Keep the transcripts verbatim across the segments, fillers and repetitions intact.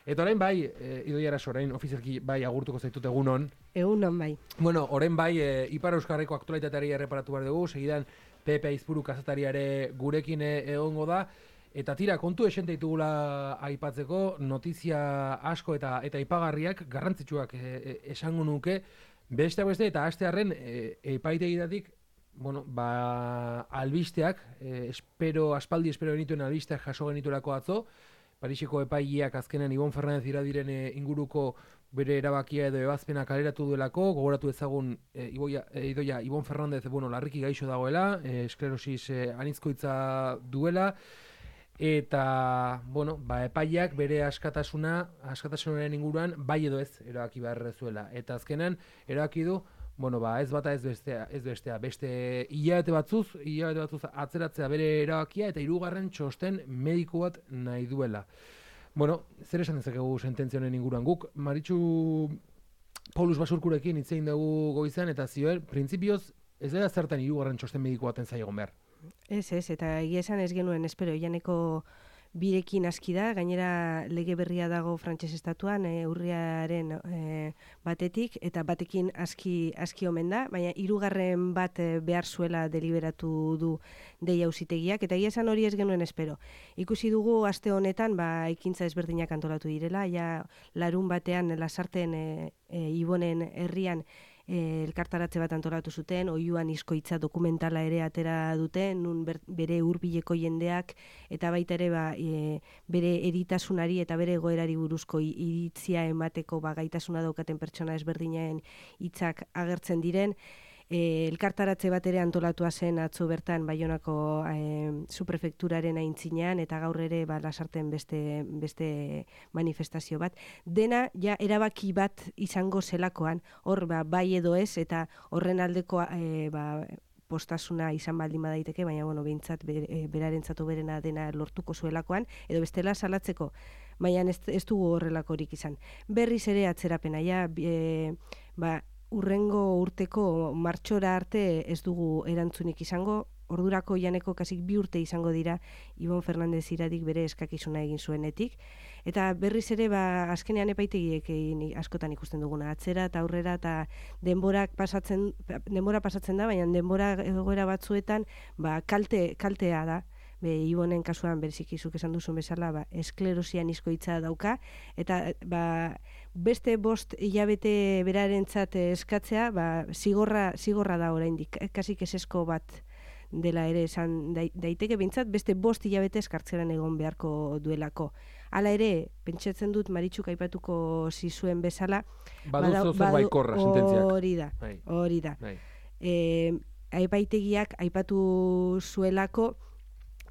Eta orain bai, e, Idoia Araso, orain ofizialki bai agurtuko zaitut egunon. Egunon bai. Bueno, orain bai, e, Ipar Euskarriko aktualitateari erreparatu behar dugu, segidan Pepe Aizpuru kazetaria gurekin egongo da. Eta tira, kontu esente ditugula aipatzeko, notizia asko eta eta ipagarriak, garrantzitsuak e, e, esango nuke, beste beste eta astearren e, epaitegitatik, bueno, ba, albisteak, e, espero, aspaldi espero genituen albisteak jaso genituelako atzo, Pariseko epaileak azkenean Ibon Fernandez Iradiren e, inguruko bere erabakia edo ebazpena kaleratu duelako, gogoratu ezagun e, Iboia, e, Idoia Ibon Fernandez, bueno, larriki gaixo dagoela, e, esklerosis e, anizkoitza duela, eta, bueno, ba, epaileak bere askatasuna, askatasunaren inguruan, bai edo ez erabaki behar zuela. Eta azkenean, erabaki du, bueno, ba, ez bata ez bestea, ez bestea, beste hilabete batzuz, hilabete batzuz atzeratzea bere erabakia, eta hirugarren txosten mediko bat nahi duela. Bueno, zer esan dezakegu sententzionen inguruan guk, Maritxu Paulus Basurkurekin hitz egin dugu goizan, eta zioen, printzipioz, ez dela zertan hirugarren txosten mediko baten zaigon behar. Ez, ez, eta egia esan ez genuen, espero, Ianeko birekin aski da, gainera lege berria dago frantses estatuan, e, urriaren e, batetik, eta batekin aski, aski omen da, baina hirugarren bat e, behar zuela deliberatu du deia auzitegiak, eta egia esan hori ez genuen espero. Ikusi dugu aste honetan, ba, ekintza ezberdinak antolatu direla, ja larun batean lasarten e, e, Ibonen herrian E, elkartaratze bat antolatu zuten, oiuan izkoitza dokumentala ere atera duten, nun ber, bere hurbileko jendeak, eta baita ere ba, e, bere eritasunari eta bere egoerari buruzko iritzia emateko ba, gaitasuna daukaten pertsona ezberdinen hitzak agertzen diren. E, elkartaratze bat ere antolatua zen atzo bertan Baionako e, suprefekturaren aintzinean, eta gaur ere ba, lasarten beste, beste manifestazio bat. Dena ja erabaki bat izango zelakoan, hor ba, bai edo ez, eta horren aldeko e, ba, postasuna izan baldin badaiteke, baina bueno, behintzat ber, e, berarentzatu berena dena lortuko zuelakoan, edo bestela salatzeko, baina ez, ez dugu horrelakorik izan. Berriz ere atzerapena, ja, e, ba, urrengo urteko martxora arte ez dugu erantzunik izango, ordurako Ianeko kasik bi urte izango dira Ibon Fernandez Iradik bere eskakizuna egin zuenetik, eta berriz ere ba, azkenean epaitegiek askotan ikusten duguna, atzera eta aurrera, eta denborak pasatzen, denbora pasatzen da, baina denbora egoera batzuetan ba, kalte, kaltea da. Be, Ibonen kasuan berzikizuk esan duzun bezala, ba, esklerosian izkoitza dauka, eta ba, beste bost hilabete berarentzat eskatzea, ba, zigorra, zigorra da oraindik, kasik esesko bat dela ere esan daiteke, behintzat beste bost hilabete eskartzeran egon beharko duelako. Hala ere, pentsatzen dut Maritxuk aipatuko zizuen bezala, Baduzu zer baikorra sententziak. Hori da, hori da. E, aipaitegiak aipatu zuelako,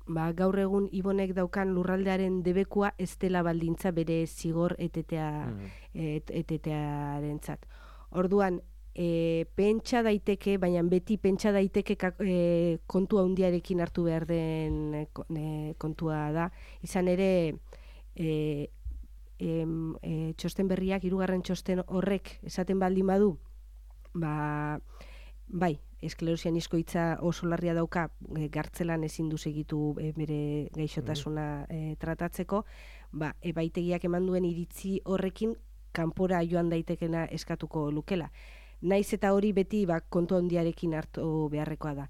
ba, gaur egun Ibonek daukan lurraldearen debekua ez dela baldintza bere zigor etetea, mm. et, etetearentzat. Orduan, e, pentsa daiteke, baina beti pentsa daiteke e, kontua handiarekin hartu behar den e, kontua da. Izan ere, e, e, e, txosten berriak, hirugarren txosten horrek esaten baldin badu, ba, bai, esklerosian izkoitza oso larria dauka, e, gartzelan ezin du segitu e, bere gaixotasuna e, tratatzeko, ba, epaitegiak eman duen iritzi horrekin kanpora joan daitekena eskatuko lukela. Naiz eta hori beti ba, kontu handiarekin hartu beharrekoa da.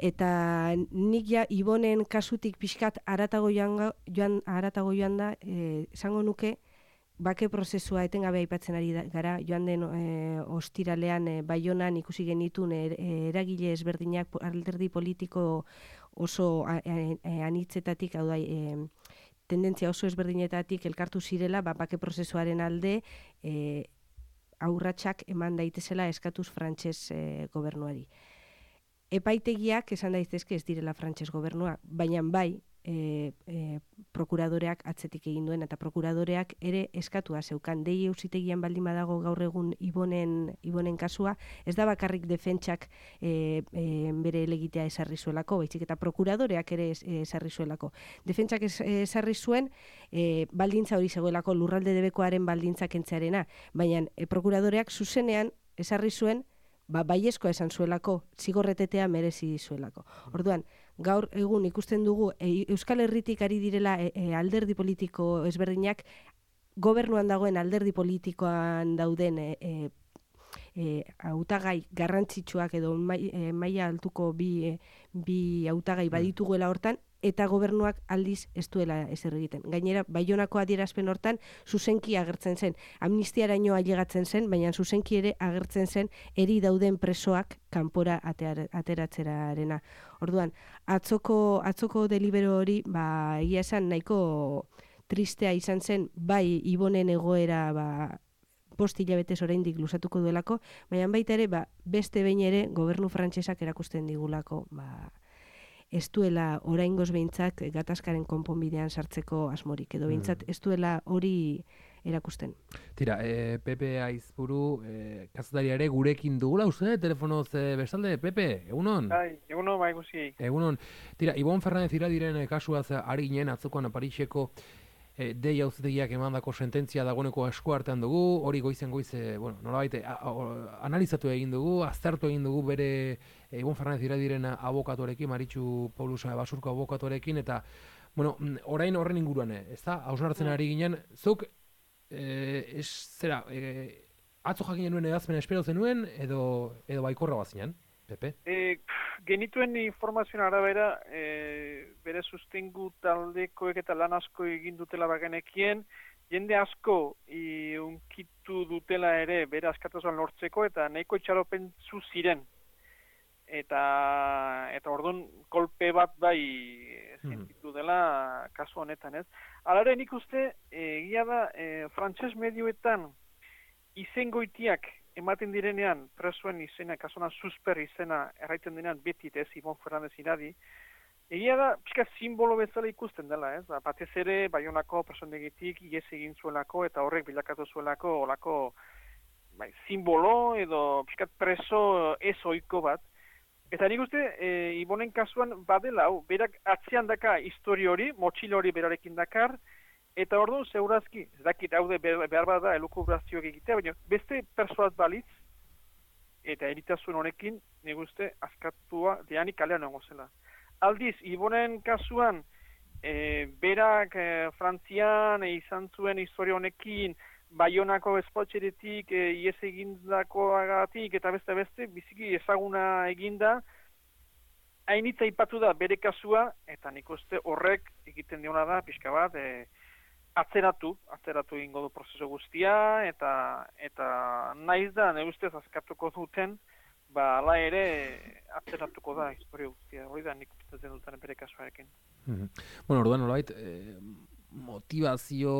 Eta nik ja Ibonen kasutik pixkat aratago joan, joan, aratago joan da, e, esango nuke, bake prozesua etengabe aipatzen ari da, gara, joan den e, ostiralean e, Baionan ikusi genitun er, eragile ezberdinak alderdi politiko oso a, a, a, anitzetatik, hau da, e, tendentzia oso ezberdinetatik elkartu zirela, ba, bake prozesuaren alde e, aurratsak eman daitezela eskatuz frantses e, gobernuari. Epaitegiak esan daitezke ez direla frantses gobernua, baina bai, E, e, prokuradoreak atzetik egin duen, eta prokuradoreak ere eskatua zeukan. Dei auzitegian baldin badago gaur egun Ibonen, Ibonen kasua, ez da bakarrik defentsak e, e, bere elegitea esarri zuelako, baizik eta prokuradoreak ere esarri zuelako. Defentsak esarri zuen e, baldintza hori zegoelako, lurralde debekoaren baldintza kentzearena, baina e, prokuradoreak zuzenean esarri zuen ba, baiezkoa esan zuelako, zigorretetea merezi zuelako. Orduan, gaur egun ikusten dugu e, Euskal Herritik ari direla e, e, alderdi politiko ezberdinak gobernuan dagoen alderdi politikoan dauden e, e, e, hautagai garrantzitsuak edo mai, e, maila altuko bi, e, bi hautagai badituguela hortan, eta gobernuak aldiz ez duela ezer egiten. Gainera, Baionako adierazpen hortan zuzenki agertzen zen. Amnistiaraino ailegatzen zen, baina zuzenki ere agertzen zen eri dauden presoak kanpora ateratzerarena. Orduan, atzoko, atzoko delibero hori, ba, egia esan nahiko tristea izan zen, bai Ibonen egoera ba, bost hilabetez oraindik luzatuko duelako, baina baita ere, ba, beste behin ere gobernu frantsesak erakusten digulako, ba, ez duela oraingoz behintzat gatazkaren konponbidean sartzeko asmorik, edo behintzat ez duela hori erakusten. Tira, e, Pepe Aizpuru, e, kazetaria ere gurekin dugula, uste, telefonoz e, bestalde, Pepe, egunon? Bai, egunon, bai guzi. Egunon. Tira, Ibon Fernandez Iradiren kasuaz ari ginen, atzokoan Pariseko e, dei auzitegiak emandako sententzia dagoeneko esku artean dugu, hori goizen goiz, e, bueno, nolabait, analizatu egin dugu, aztertu egin dugu bere e, Ibon Fernandez Iradiren abokatuarekin, Maritxu Paulusa Basurko abokatuarekin, eta, bueno, orain horren inguruan, ez da, hausnartzen ari ginen, zuk, e, ez, zera, e, atzo jakin genuen edazmen espero zenuen, edo, edo baikorra bazinen, Pepe? E, genituen informazioan arabera, e, bere sustengu taldekoek eta lan asko egin dutela bagenekien, jende asko i, unkitu dutela ere bere askatasunan lortzeko eta nahiko itxaropentzu ziren. Eta, eta orduan kolpe bat bai sentitu dela kasu honetan, ez? Alare nik uste, egia da, e, frantses medioetan izengoitiak ematen direnean, presoen izena, kasona susper izena erraiten denean beti ez Ibon Fernandez Iradi, egia da, pixka simbolo bezala ikusten dela, ez? Batez ere, Baionako presondegitik ies egin zuelako eta horrek bilakatu zuelako olako bai, simbolo edo pixka preso ez ohiko bat. Eta nik uste, e, Ibonen kasuan badela, berak atzean daka histori hori, motxilo hori berarekin dakar, eta orduan, zeurazki, ez dakit haude behar bada elukubrazioak egitea, baina beste persoat balitz, eta eritasun honekin, nik uste, askatua deanik kalean nengo zela. Aldiz, Ibonen kasuan, e, berak e, Frantzian e, izan zuen historia honekin, Baionako espotxeretik e, ies egindakoagatik eta beste beste, biziki ezaguna eginda, hainitza ipatu da bere kasua, eta nik uste horrek egiten diona da, pixka bat, e, atzeratu, atzeratu egingo du prozesu guztia, eta eta naiz da, ne ustez askatuko duten, ba, ala ere atzeratuko da historia guztia, hori da nik uste duten bere kasuarekin. Mm-hmm. Bueno, orduan, nolait, eh, motivazio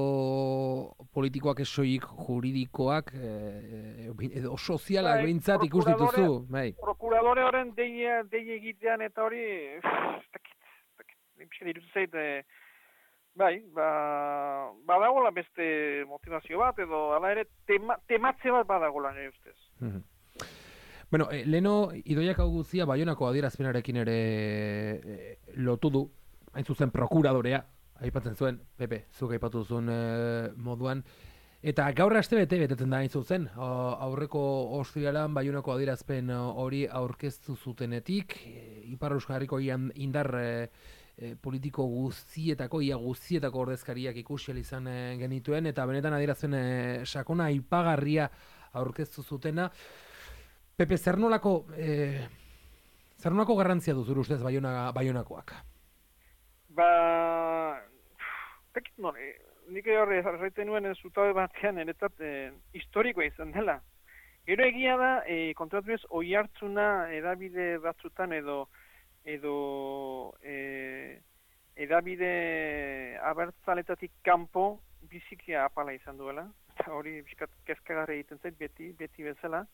politikoak esoik juridikoak eh, edo sozialak behintzat ikus dituzu, bai. Prokuradore horren dei, dei egitean eta hori, takit, takit, takit, irutu zait, eh, bai, ba, badagola beste motivazio bat, edo ala ere tema, tematze bat badagola nire ustez. Mm-hmm. Bueno, eh, leno, Idoiak hau guzia Baionako adierazpenarekin ere eh, lotu du, hain zuzen prokuradorea, aipatzen zuen, Pepe, zuk aipatu zuen e, moduan, eta gaur aste bete betetzen da hain zuzen, aurreko ostialan Baionako adierazpen hori aurkeztu zutenetik, e, Ipar Euskal Herriko indar e, e, politiko guztietako, ia guztietako ordezkariak ikusi izan e, genituen, eta benetan adierazpen e, sakona aipagarria aurkeztu zutena. Pepe, zer nolako, e, zer nolako garrantzia du zure ustez Baiona, Baionakoak? Ba, tekit non, e, nik horre erraiten nuen zutabe batean, eretzat e, historikoa izan dela. Gero egia da, e, kontratu ez, oi hartzuna edabide batzutan edo, edo e, edabide abertzaletatik kanpo bizikia apala izan duela. Eta hori bizkat kezkagarri egiten zait beti, beti bezala.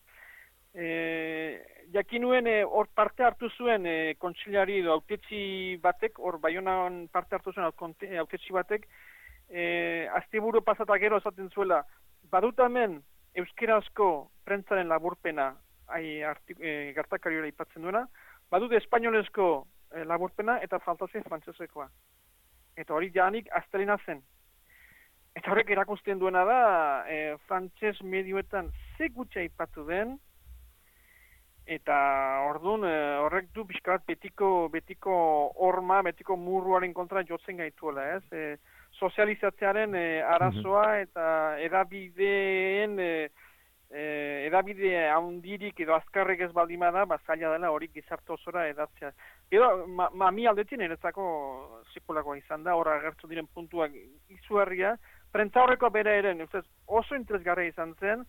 E, jakinuen hor e, parte hartu zuen e, kontxilari edo autetxi batek, hor Baionan parte hartu zuen autetxi batek, e, asteburu pasatak gero esaten zuela, badut hemen euskerazko prentzaren laburpena ai, artik, e, gertakari hori aipatzen duena, badut espainolezko e, laburpena eta faltazen frantsesekoa. Eta hori janik astelena zen. Eta horrek erakusten duena da, e, frantses medioetan ze gutxi aipatu den, eta orduan horrek du pixkat betiko betiko horma, betiko murruaren kontra jotzen gaituela, ez? E, sozializatzearen e, arazoa eta edabideen e, e, edabide handirik edo azkarrek ez baldimada, ba, zaila dela hori gizarte osora edatzea. Edo, ma, ma mi aldetin eretzako sekulakoa izan da, horra agertu diren puntuak izugarria, prentza horreko bere eren, oso interesgarria izan zen,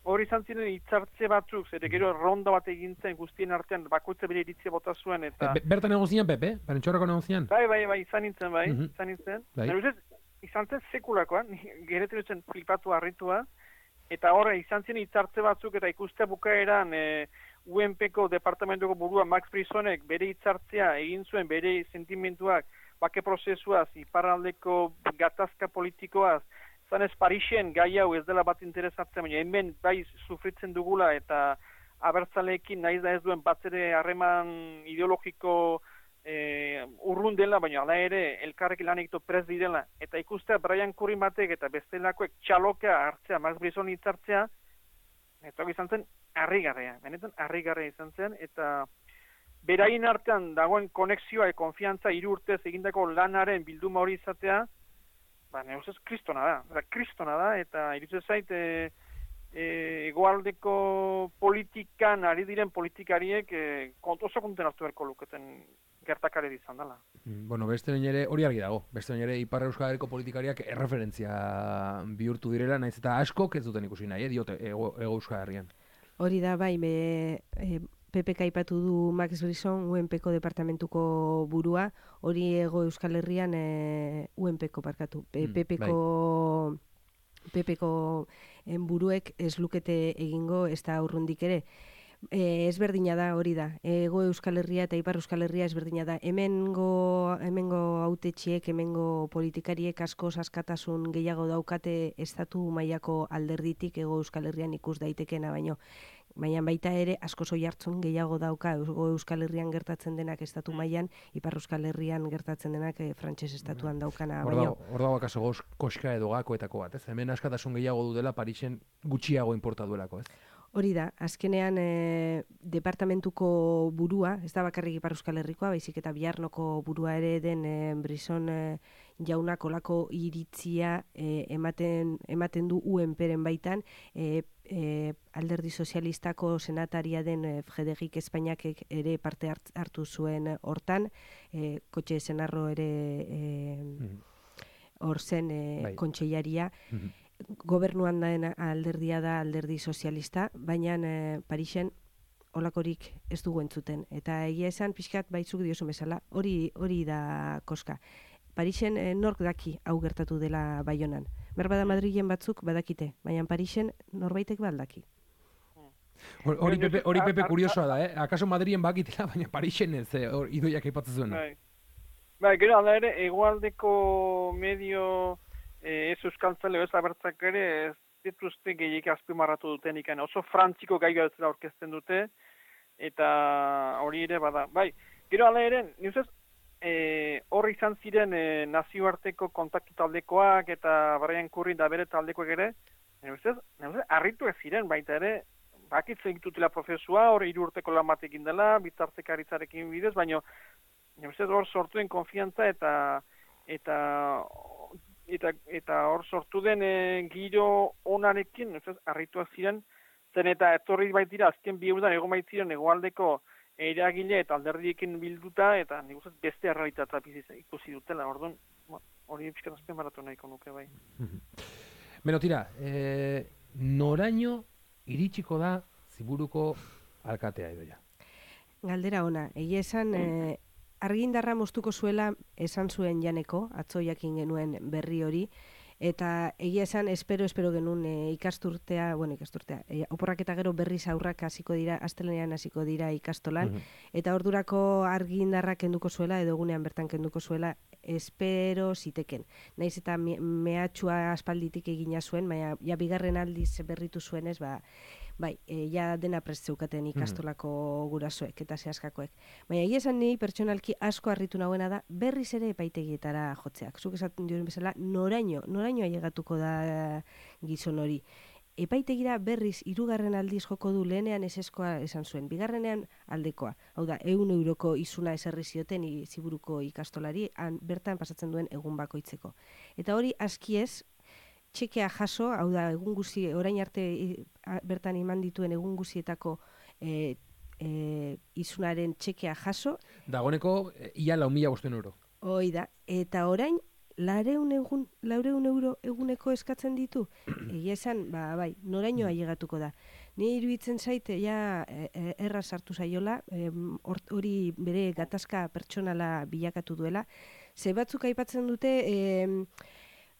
hori izan ziren hitzartze batzuk, zere gero ronda bat egin zen guztien artean, bakoitza bere iritzia bota zuen, eta... E, bertan egozian, Pepe? Prentxorreko negozian? Bai, bai, bai, izan nintzen, bai, Mm-hmm. izan nintzen. Bai. Bai. Izan zen sekulakoa, geretzen zen flipatu harritua, eta horre izan zen hitzartze batzuk, eta ikustea bukaeran e, U N P-ko departamentuko burua Max Brisonek bere hitzartzea egin zuen bere sentimentuak, bake prozesuaz, iparraldeko gatazka politikoaz, zanez Parixen gai hau ez dela bat interesatzen, baina hemen bai sufritzen dugula eta abertzaleekin nahiz da ez duen batzere harreman ideologiko e, urrun dela, baina ala ere elkarrekin lan egito prez direla. Eta ikustea Brian Curry batek eta bestelakoek txaloka hartzea, Max Brison hitzartzea, eta izan zen harrigarria, benetan harrigarria izan zen, eta beraien artean dagoen konexioa e konfiantza hiru urtez egindako lanaren bilduma hori izatea, ba, neuzez kristona da, da, kristona da, eta irutzen zait, e, e, egoaldeko politikan, ari diren politikariek, e, oso konten hartu berko luketen gertakare izan dela. Bueno, beste ere hori argi dago, beste ere Ipar Euskal Herriko politikariak erreferentzia bihurtu direla, naiz eta askok ez duten ikusi nahi, eh, diote, ego, ego Euskal Herrian. Hori da, bai, be, e, P P K aipatu du Max Brison, U N P-ko departamentuko burua, hori ego Euskal Herrian e, U N P-ko parkatu. Mm, P P-ko P P-ko buruek ez lukete egingo ez da urrundik ere. E, ezberdina da hori da. Ego Euskal Herria eta Ipar Euskal Herria ezberdina da. Hemengo hemengo hautetxiek, hemengo politikariek asko askatasun gehiago daukate estatu mailako alderditik ego Euskal Herrian ikus daitekena baino. Baina baita ere asko soi hartzun gehiago dauka ego Euskal Herrian gertatzen denak estatu mailan, Ipar Euskal Herrian gertatzen denak e, frantses estatuan daukana baino. Hor dago akaso koska edo gakoetako bat, ez? Hemen askatasun gehiago du dela Parisen gutxiago inporta duelako, ez? Hori da, azkenean e, departamentuko burua, ez da bakarrik Ipar Euskal Herrikoa, baizik eta Biarnoko burua ere den e, Brison e, jaunak olako iritzia e, ematen, ematen du U N P-ren baitan, e, e, alderdi sozialistako senataria den e, Frederik Espainiakek ere parte hart, hartu zuen hortan, e, Kotxe Senarro ere e, hor zen e, Bai. kontseilaria, gobernuan den alderdia da alderdi sozialista, baina e, Parisen olakorik ez dugu entzuten. Eta egia esan pixkat baitzuk diozu bezala, hori hori da koska. Parisen e, nork daki hau gertatu dela Baionan. Berbada Madrilen batzuk badakite, baina Parisen norbaitek baldaki. Hori Pepe, hori Pepe kuriosoa da, eh? Akaso Madrilen bakitela, baina Parisen ez, eh, hor idoiak aipatzen zuen. Bai, bai, gero alda ere, egoaldeko medio E, ez euskaltzale ez abertzak ere ez dituzte gehiek azpimarratu duten ikan. Oso frantziko gai galtzera aurkezten dute, eta hori ere bada. Bai, gero ala ere, nizuz, e, horri izan ziren e, nazioarteko kontaktu taldekoak eta Brian Curry da bere taldekoak ere, nizuz, nizuz, arritu ez ziren, baita ere, bakitzen egitutela prozesua, hori hiru urteko lan batekin dela, bitartekaritzarekin bidez, baina nizuz, hor sortu den konfiantza eta eta eta eta hor sortu den e, giro onarekin, ez harrituak ziren, zen eta etorri baitira azken bi urtean egon baitziren hegoaldeko eragile eta alderdiekin bilduta, eta nik uste beste errealitatea ikusi dutela, orduan hori pixkat azpimarratu nahiko nuke bai. Beno, tira, e, noraino iritsiko da Ziburuko alkatea Idoia? Galdera ona, egia esan... E, Argindarra moztuko zuela esan zuen Janeko, atzo jakin genuen berri hori, eta egia esan espero espero genuen e, ikasturtea, bueno, ikasturtea, e, oporrak eta gero berriz aurrak hasiko dira, astelenean hasiko dira ikastolan, mm-hmm. eta ordurako argindarra kenduko zuela, edo egunean bertan kenduko zuela, espero ziteken. Naiz eta me, mehatxua aspalditik egina zuen, baina ja bigarren aldiz berritu zuenez, ba, bai, e, ja dena prest zeukaten ikastolako gurasoek eta zehaskakoek. Baina egia esan ni pertsonalki asko harritu nagoena da berriz ere epaitegietara jotzeak. Zuk esaten duen bezala, noraino, noraino ailegatuko da gizon hori. Epaitegira berriz hirugarren aldiz joko du, lehenean eseskoa esan zuen, bigarrenean aldekoa. Hau da, ehun euroko izuna ezarri zioten i, Ziburuko ikastolari, han, bertan pasatzen duen egun bakoitzeko. Eta hori aski ez, txekea jaso, hau da, egun guzi, orain arte i, a, bertan iman dituen egun guzietako e, e, izunaren txekea jaso. Dagoneko, ia lau mila bosten euro. Hoi da, eta orain, Lareun egun, laureun euro eguneko eskatzen ditu. Egia esan, ba, bai, noraino ailegatuko da. Ni iruditzen zaite, ja, e, erra sartu zaiola, hori e, bere gatazka pertsonala bilakatu duela. Ze batzuk aipatzen dute, e,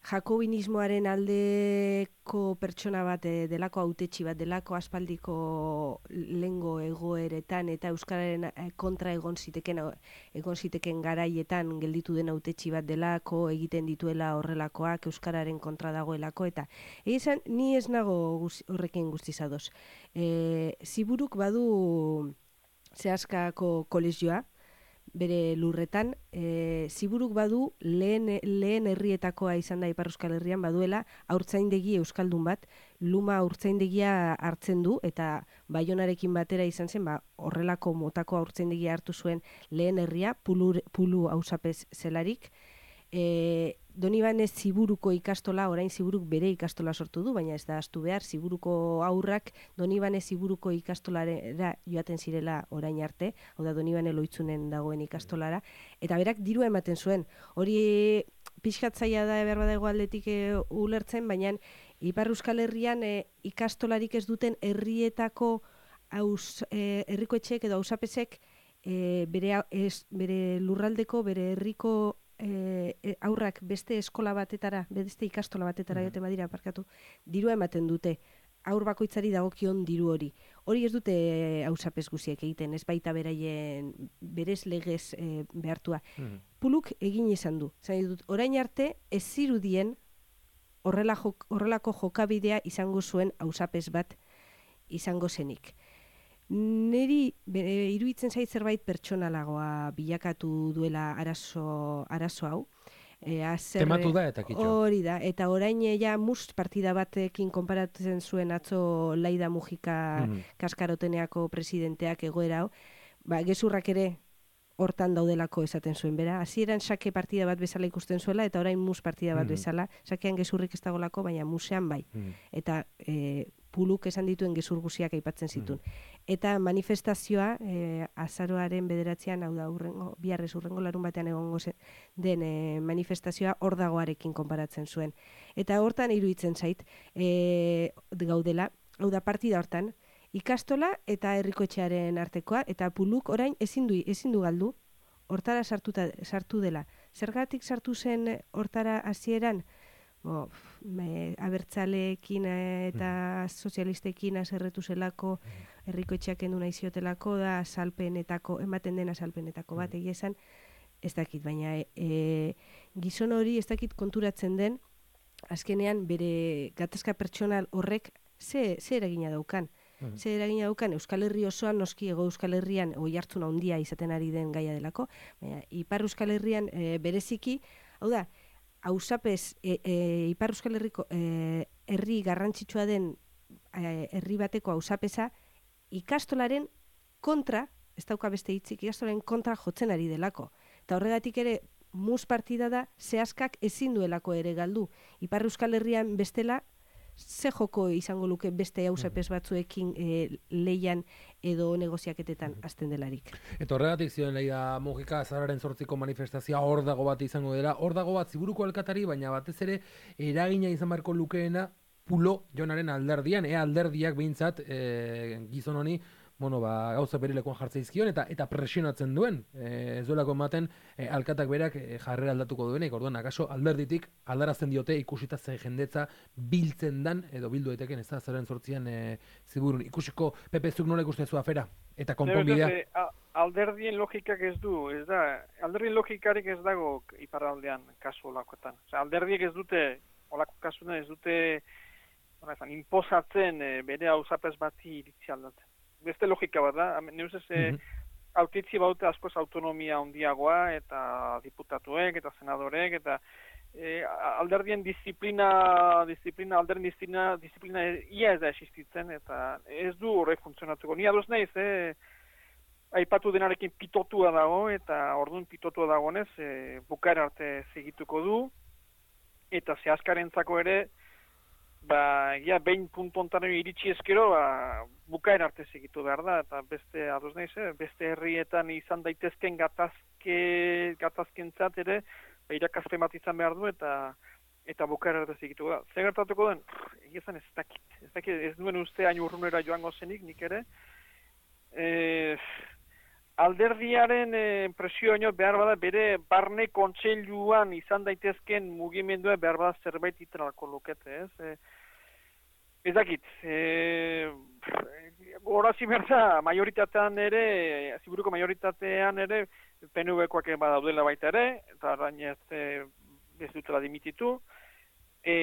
jakobinismoaren aldeko pertsona bat, e, delako hautetsi bat, delako aspaldiko lengo egoeretan, eta euskararen kontra egon ziteken, egon ziteken garaietan gelditu den hautetsi bat delako, egiten dituela horrelakoak, euskararen kontra dagoelako, eta egizan, ni ez nago guz, horrekin guztiz ados. E, Ziburuk badu Zehaskako kolegioa, bere lurretan, e, Ziburuk badu lehen, lehen herrietakoa izan da Ipar Euskal Herrian baduela haurtzaindegi euskaldun bat, Luma haurtzaindegia hartzen du, eta Baionarekin batera izan zen, ba, horrelako motako haurtzaindegia hartu zuen lehen herria, Pulu, Pulu auzapez zelarik. E, Donibane Ziburuko ikastola, orain Ziburuk bere ikastola sortu du, baina ez da ahaztu behar, Ziburuko aurrak Donibane Ziburuko ikastolara joaten zirela orain arte, hau da Donibane Loitzunen dagoen ikastolara, eta berak dirua ematen zuen. Hori pixkatzaia da behar badago aldetik e, ulertzen, baina Ipar Euskal Herrian e, ikastolarik ez duten herrietako hauz, e, herrikoetxeek edo auzapezek e, bere, ez, bere lurraldeko, bere herriko E, e, aurrak beste eskola batetara, beste ikastola batetara joten badira parkatu, dirua ematen dute, aur bakoitzari dagokion diru hori. Hori ez dute auzapez guziek egiten, ez baita beraien berez legez e, behartua. Mm. Puluk egin izan du. Zain dut, orain arte ez zirudien horrela jok, horrelako jokabidea izango zuen auzapez bat izango zenik. Neri iruditzen zait zerbait pertsonalagoa bilakatu duela arazo, arazo hau. E, azer, Tematu da eta kitxo. Hori da, eta orain ja must partida batekin konparatzen zuen atzo Laida Mujika mm. Kaskaroteneako presidenteak egoera hau, ba, gezurrak ere hortan daudelako esaten zuen, bera. Hasieran sake partida bat bezala ikusten zuela, eta orain mus partida bat mm. bezala. Sakean gezurrik ez dagolako, baina musean bai. Mm. Eta e, Puluk esan dituen gezur guziak aipatzen zituen. Mm. Eta manifestazioa, e, azaroaren bederatzean, hau da, urrengo, biharrez urrengo larun batean egongo zen, den e, manifestazioa hor dagoarekin konparatzen zuen. Eta hortan iruditzen zait, e, gaudela, hau da, partida hortan, ikastola eta herrikoetxearen artekoa, eta Puluk orain ezin du, ezin du galdu, hortara sartuta, sartu dela. Zergatik sartu zen hortara hasieran? Bo, me, abertzaleekin eta sozialistekin azerretu zelako, herrikoetxeak endu nahi ziotelako da, azalpenetako, ematen den azalpenetako bat, egia esan, ez dakit, baina e, gizon hori ez dakit konturatzen den, azkenean bere gatazka pertsonal horrek ze, ze eragina daukan. Mm. Ze eragina daukan Euskal Herri osoan, noski Hego Euskal Herrian oihartzun handia izaten ari den gaia delako, baina Ipar Euskal Herrian e, bereziki, hau da, auzapez e, e, Ipar Euskal Herriko e, herri garrantzitsua den e, herri bateko auzapeza ikastolaren kontra, ez dauka beste hitzik, ikastolaren kontra jotzen ari delako. Eta horregatik ere mus partida da Zehaskak ezin duelako ere galdu. Ipar Euskal Herrian bestela ze joko izango luke beste auzapez batzuekin e, leian edo negoziaketetan hasten delarik. Eta horregatik zioen Laida Mujika azararen zortziko manifestazioa hor dago bat izango dela, hor dago bat Ziburuko alkatari, baina batez ere eragina izan beharko lukeena Pulo Jonaren alderdian, ea alderdiak behintzat e, gizon honi, bueno, ba, gauza berilekoan jartzen izkion eta eta presionatzen duen, e, ez duelako ematen e, alkatak berak e, jarrera aldatuko duenek, orduan, akaso alderditik aldarazten diote ikusita ze jendetza biltzen dan, edo bildu daiteken ez da, zaren sortzian e, Ziburun. Ikusiko, Pepe, zuk nola ikustezu afera? Eta konponbidea? Alderdien logikak ez du, ez da, alderdien logikarik ez dago iparraldean kasu olakoetan. Osea, alderdiek ez dute, olako kasuan ez dute, izan, imposatzen e, bere auzapez bati iritzi aldatzen. Beste logika bat da, neuz ez, mm-hmm. autitzi baute askoz autonomia handiagoa, eta diputatuek, eta senadorek, eta e, alderdien disiplina, disiplina, alderdien disiplina, disiplina ia ez da existitzen, eta ez du horrek funtzionatuko. Ni adoz nahiz, eh, aipatu denarekin pitotua dago, eta orduan pitotua dagoenez, e, bukaera arte segituko du, eta zehazkarentzako ere, ba, ja, behin puntontaren iritsi eskero, ba, bukaera arte segitu behar da, eta beste, adoz nahiz, eh, beste herrietan izan daitezken gatazke, gatazkentzat ere, ba, irakazpen bat izan behar du, eta eta bukaera arte segitu da. Zer gertatuko den? Egizan ez dakit. Ez dakit, ez duen uste hain urrunera joango zenik, nik ere. E, alderdiaren e, presioa behar bada bere barne kontseiluan izan daitezken mugimendua behar bada zerbait iteralko lukete, ez? E, ez dakit. E, Horazi berda, majoritatean ere, ziburuko majoritatean ere, P N V-koak badaudela baita ere, eta orain ez, e, ez dutela dimititu. E,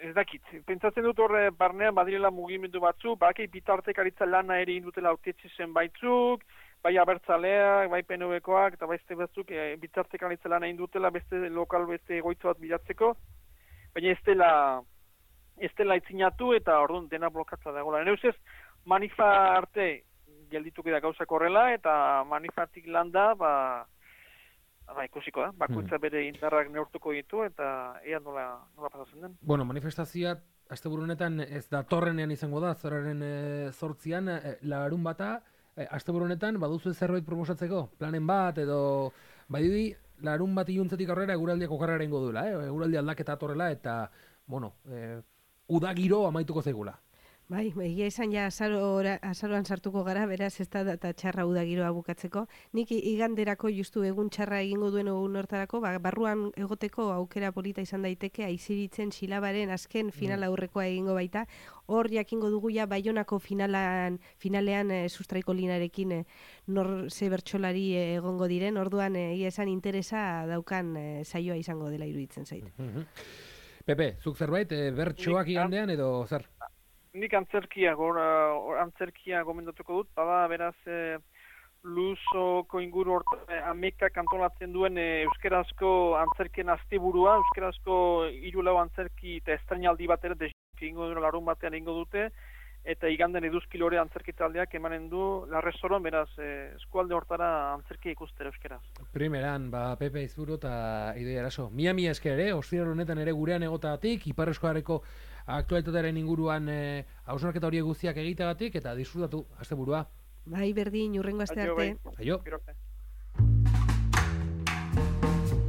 ez dakit, pentsatzen dut horre barnean badirela mugimendu batzu, bakei bitartekaritza lana ere indutela autetxe zen baitzuk, bai abertzaleak, bai P N V-koak, eta beste batzuk e, bitartekaritza lana indutela beste lokal, beste egoitza bat bilatzeko, baina ez dela, ez dela itzinatu eta orduan dena blokatza dagoela. Nire ustez, manifa arte geldituko da gauzak horrela, eta manifatik landa, ba, ba ikusiko da, bakoitza bere indarrak neurtuko ditu, eta ea nola, nola pasatzen den. Bueno, manifestazioa, asteburu honetan ez da torrenean izango da, zoraren e, zortzian, e, larun bata, e, asteburu honetan, baduzu zerbait proposatzeko, planen bat, edo, badidi, larun bat iluntzetik aurrera eguraldiak okarrera ingo duela, eh? Eguraldi aldaketa atorrela, eta, bueno, e, udagiro amaituko zaigula. Bai, egia izan ja azarora, azaroan sartuko gara, beraz ez da eta txarra udagiroa bukatzeko. Nik iganderako justu egun txarra egingo duen egun hortarako, ba, barruan egoteko aukera polita izan daiteke, aiziritzen silabaren azken final aurrekoa egingo baita. Hor jakingo dugu ja Baionako finalan, finalean e, sustraiko linarekin e, nor ze bertsolari e, egongo diren, orduan egia esan interesa daukan e, saioa izango dela iruditzen zait. Pepe, zuk zerbait, e, bertsoak igandean edo zer? Nik antzerkia, gora, antzerkia gomendatuko dut, bada beraz e, luzoko inguru horta e, amekak antolatzen duen e, euskerazko antzerkien asteburua, euskerazko hiru lau antzerki eta estrainaldi bat ere desik ingo duen larun batean ingo dute, eta iganden eduzkilore antzerkitaldeak emanen du larrezoron, beraz e, eskualde hortara antzerkia ikustera euskeraz. Primeran, ba, Pepe Izburu eta Idoia Eraso. Mia mia esker ere, ostiral honetan ere gurean egotatik, Ipar Euskalarreko aktualitatearen inguruan e, hausnarketa horiek guztiak egiteagatik, eta disfrutatu asteburua. Bai, berdin, hurrengo aste arte. Aio, bai. Aio.